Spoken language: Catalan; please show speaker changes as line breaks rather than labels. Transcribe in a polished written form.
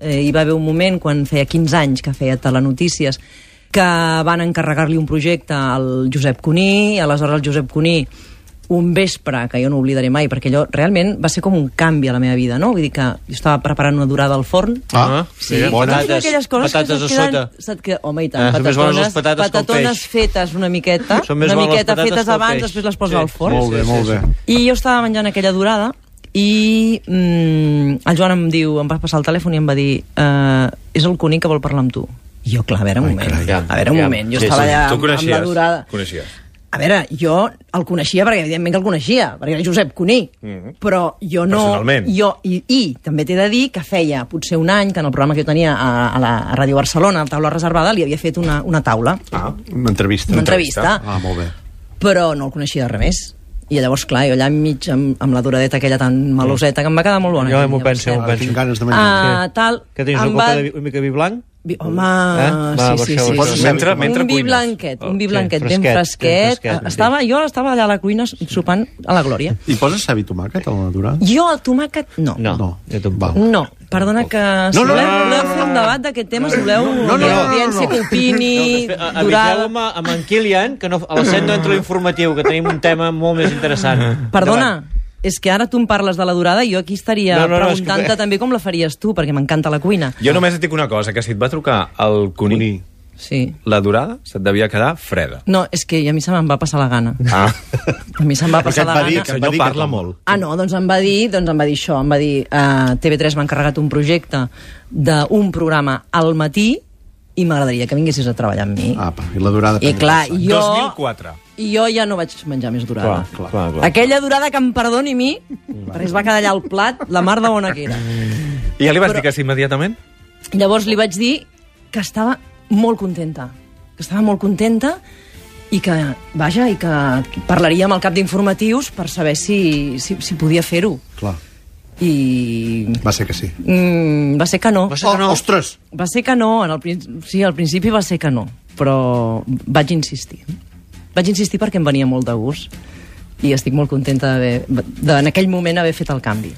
hi va haver un moment, quan feia 15 anys que feia telenotícies, que van encarregar-li un projecte al Josep Cuní, aleshores el Josep Cuní un vespre, que jo no oblidaré mai, perquè allò realment va ser com un canvi a la meva vida, no? Vull dir que jo estava preparant una durada al forn.
Sí, bones.
Patates a sota.
Home, i tant, patatones fetes una miqueta fetes abans, després les poses al forn.
Molt bé.
I jo estava menjant aquella durada i el Joan em va passar el telèfon i em va dir és el Cuní que vol parlar amb tu. I jo, clar, a veure un moment, jo estava allà amb la durada.
Coneixies?
A veure, jo el coneixia perquè evidentment que el coneixia, perquè era Josep Cuní, però jo no...
Personalment.
I també t'he de dir que feia potser un any que en el programa que jo tenia a Ràdio Barcelona, a Taula Reservada, li havia fet una taula.
Una entrevista. Molt bé.
Però no el coneixia de res més. I llavors, clar, jo allà enmig, amb la duradeta aquella tan maloseta, que em va quedar molt bona.
Jo m'ho penso.
Tinc ganes de menjar.
Que tens una mica vi blanc?
Home, sí.
Mentre
un vi blanquet ben fresquet. Jo estava allà a la cuina sopant a la glòria.
I poses ceba i tomàquet a la durada?
Jo el tomàquet, no. No, perdona que... Si voleu fer un debat d'aquest tema, si voleu audiència que opini...
Aviseu-me amb en Kilian, que a les 7 no entra l'informatiu, que tenim un tema molt més interessant.
Perdona, és que ara tu em parles de la durada i jo aquí estaria preguntant-te també com la faries tu, perquè m'encanta la cuina.
Jo només et dic una cosa, que si et va trucar el Cuní, la durada se't devia quedar freda.
No, és que a mi se me'n va passar la gana. A mi se'm va passar la gana.
El senyor parla molt.
No, doncs em va dir això, em va dir TV3 m'ha encarregat un projecte d'un programa al matí i m'agradaria que vinguessis a treballar amb mi.
I la durada...
I clar,
2004.
I jo ja no vaig menjar més durada.
Clar.
Aquella durada que em perdoni a mi, perquè es va quedar allà al plat, la mar de bona que era.
I ja li vas dir que sí immediatament?
Llavors li vaig dir que estava molt contenta. I que, vaja, i que parlaríem al cap d'informatius per saber si podia fer-ho.
Clar.
I...
Va ser que sí.
Va ser que no.
Ostres!
Va ser que no. Sí, al principi va ser que no. Però vaig insistir. Perquè em venia molt de gust. I estic molt contenta en aquell moment haver fet el canvi.